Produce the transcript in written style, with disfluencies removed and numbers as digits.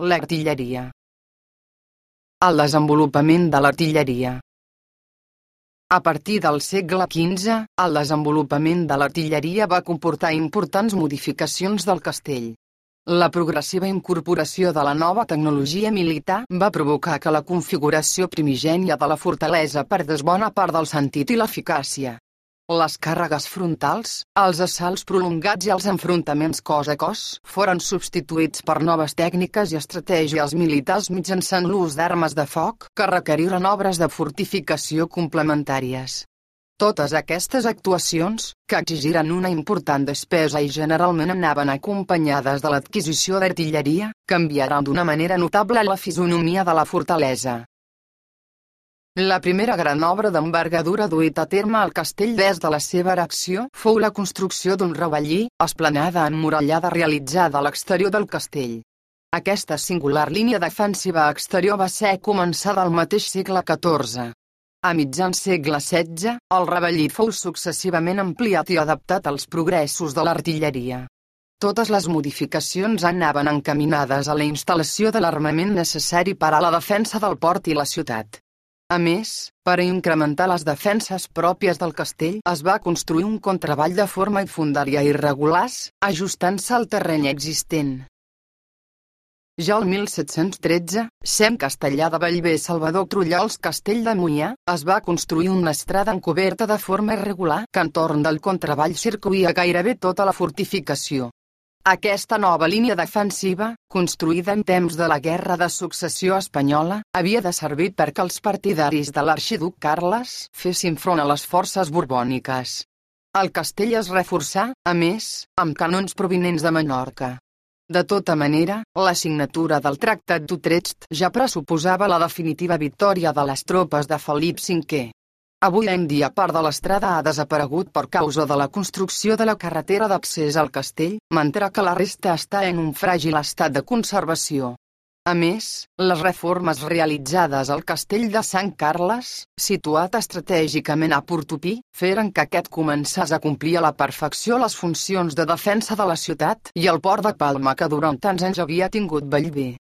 L'artilleria. El desenvolupament de l'artilleria. A partir del segle XV, el desenvolupament de l'artilleria va comportar importants modificacions del castell. La progressiva incorporació de la nova tecnologia militar va provocar que la configuració primigènia de la fortalesa perdés bona part del sentit i l'eficàcia. Les càrregues frontals, els assalts prolongats i els enfrontaments cos a cos foren substituïts per noves tècniques i estratègies militars mitjançant l'ús d'armes de foc que requeriren obres de fortificació complementàries. Totes aquestes actuacions, que exigiren una important despesa i generalment anaven acompanyades de l'adquisició d'artilleria, canviaran d'una manera notable la fisonomia de la fortalesa. La primera gran obra d'envergadura duita a terme al castell des de la seva erecció fou la construcció d'un ravellí, esplanada emmurallada realitzada a l'exterior del castell. Aquesta singular línia defensiva exterior va ser començada al mateix segle XIV. A mitjan segle XVI, el ravellí fou successivament ampliat i adaptat als progressos de l'artilleria. Totes les modificacions anaven encaminades a la instal·lació de l'armament necessari per a la defensa del port i la ciutat. A més, per a incrementar les defenses pròpies del castell es va construir un contravall de forma i fondària irregulars, ajustant-se al terreny existent. Ja el 1713, sent Castellar de Bellver Salvador Trullols Castell de Moià, es va construir una estrada encoberta de forma irregular que entorn del contravall circuïa gairebé tota la fortificació. Aquesta nova línia defensiva, construïda en temps de la Guerra de Successió Espanyola, havia de servir perquè els partidaris de l'arxiduc Carles fessin front a les forces borbòniques. El castell es reforçà, a més, amb canons provinents de Menorca. De tota manera, la signatura del Tractat d'Utrecht ja pressuposava la definitiva victòria de les tropes de Felip V. Avui en dia part de l'estrada ha desaparegut per causa de la construcció de la carretera d'accés al castell, mentre que la resta està en un fràgil estat de conservació. A més, les reformes realitzades al castell de Sant Carles, situat estratègicament a Portopí, feren que aquest començàs a complir a la perfecció les funcions de defensa de la ciutat i el port de Palma que durant tants anys havia tingut Bellver.